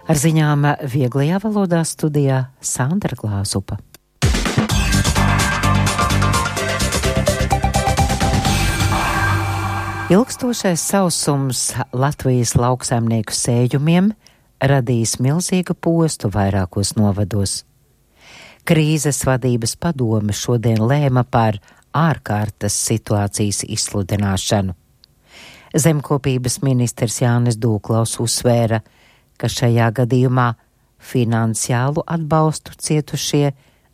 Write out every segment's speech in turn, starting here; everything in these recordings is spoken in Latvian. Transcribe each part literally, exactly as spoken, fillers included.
Ar ziņām vieglajā valodā studijā Sandra Glāzupa. Ilgstošais sausums Latvijas lauksaimnieku sējumiem radīs milzīgu postu vairākos novados. Krīzes vadības padome šodien lēma par ārkārtas situācijas izsludināšanu. Zemkopības ministrs Jānis Dūklaus uzsvēra, ka šajā gadījumā finansiālu atbalstu cietušie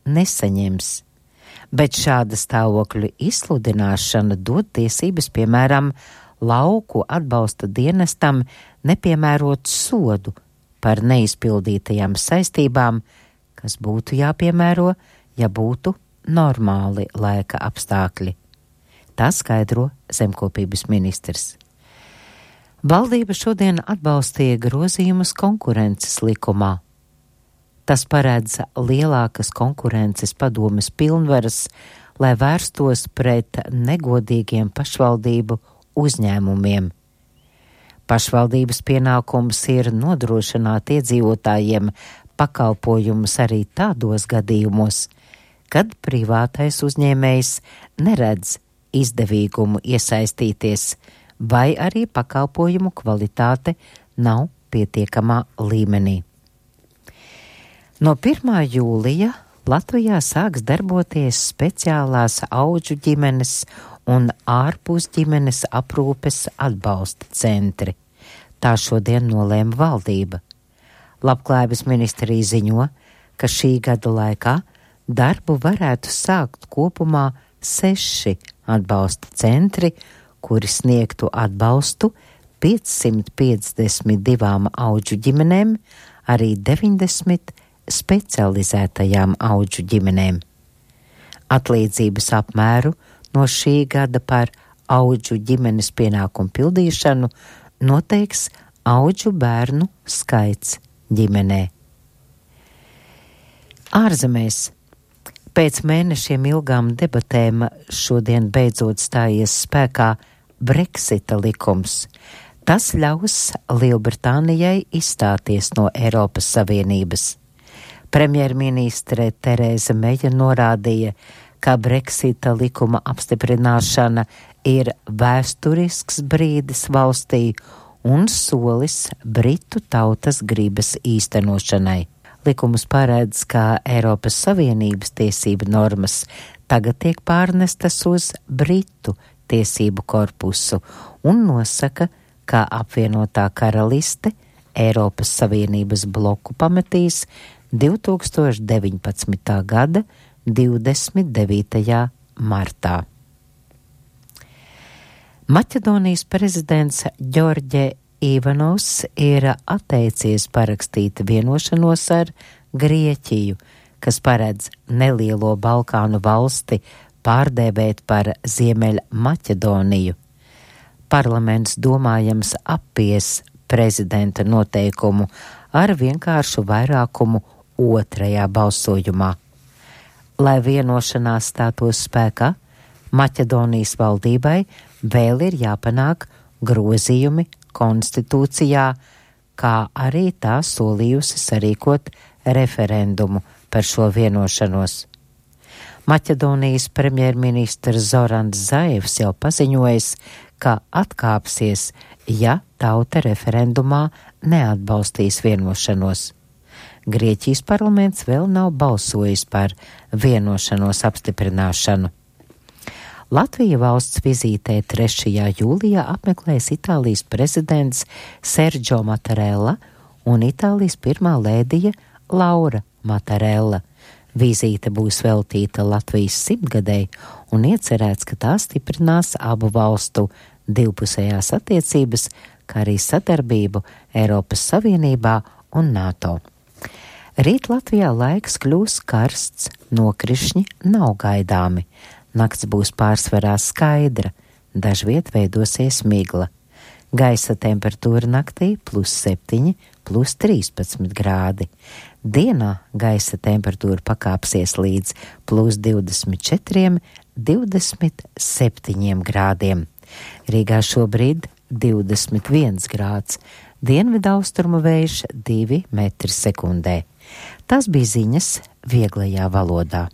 nesaņems, bet šāda stāvokļa izsludināšana dod tiesības, piemēram, lauku atbalsta dienestam nepiemērot sodu par neizpildītajām saistībām, kas būtu jāpiemēro, ja būtu normāli laika apstākļi. Tā skaidro zemkopības ministrs. Valdība šodien atbalstīja grozījumus konkurences likumā. Tas paredz lielākas konkurences padomes pilnvaras, lai vērstos pret negodīgiem pašvaldību uzņēmumiem. Pašvaldības pienākums ir nodrošināt iedzīvotājiem pakalpojumus arī tādos gadījumos, kad privātais uzņēmējs neredz izdevīgumu iesaistīties, vai arī pakalpojumu kvalitāte nav pietiekamā līmenī. No pirmā jūlija Latvijā sāks darboties speciālās audžu ģimenes un ārpus ģimenes aprūpes atbalsta centri. Tā šodien nolēma valdība. Labklājības ministrija ziņo, ka šī gada laikā darbu varētu sākt kopumā seši atbalsta centri, kuri sniegtu atbalstu piecsimt piecdesmit divām audžu ģimenēm, arī deviņdesmit specializētajām audžu ģimenēm. Atlīdzības apmēru no šī gada par audžu ģimenes pienākumu pildīšanu noteiks audžu bērnu skaits ģimenē. Ārzemēs. Pēc mēnešiem ilgām debatēm šodien beidzot stājies spēkā Brexita likums. Tas ļaus Lielbritānijai izstāties no Eiropas Savienības. Premjerministre Terēza Meja norādīja, ka Brexita likuma apstiprināšana ir vēsturisks brīdis valstī un solis Britu tautas gribas īstenošanai. Likums paredz, ka Eiropas Savienības tiesību normas tagad tiek pārnestas uz Britu tiesību korpusu un nosaka, ka apvienotā karaliste Eiropas Savienības bloku pametīs divtūkstoš deviņpadsmitā gada divdesmit devītajā martā. Maķedonijas prezidents Ģorģe Ivanovs ir atteicies parakstīt vienošanos ar Grieķiju, kas paredz nelielo Balkānu valsti pārdēvēt par Ziemeļa Maķedoniju. Parlaments domājams appies prezidenta noteikumu ar vienkāršu vairākumu otrajā balsojumā. Lai vienošanās stātos spēkā, Maķedonijas valdībai vēl ir jāpanāk grozījumi konstitūcijā, kā arī tā solījusi sarīkot referendumu par šo vienošanos. Maķedonijas premjerministrs Zorans Zaevs jau paziņojis, ka atkāpsies, ja tauta referendumā neatbalstīs vienošanos. Grieķijas parlaments vēl nav balsojis par vienošanos apstiprināšanu. Latvija valsts vizītē trešajā jūlijā apmeklēs Itālijas prezidents Sergio Mattarella un Itālijas pirmā lēdija Laura Mattarella. Vizīte būs veltīta Latvijas simtgadei un iecerēts, ka tā stiprinās abu valstu divpusējās attiecības, kā arī sadarbību Eiropas Savienībā un NATO. Rīt Latvijā laiks kļūs karsts, nokrišņi nav gaidāmi. Nakts būs pārsvarā skaidra, dažviet veidosies migla. Gaisa temperatūra naktī plus septiņi, plus trīspadsmit grādi. Dienā gaisa temperatūra pakāpsies līdz plus divdesmit četriem, divdesmit septiņiem grādiem. Rīgā šobrīd divdesmit viens grāds, dienvidaustrumu vējš divi metri sekundē. Tas bija ziņas vieglajā valodā.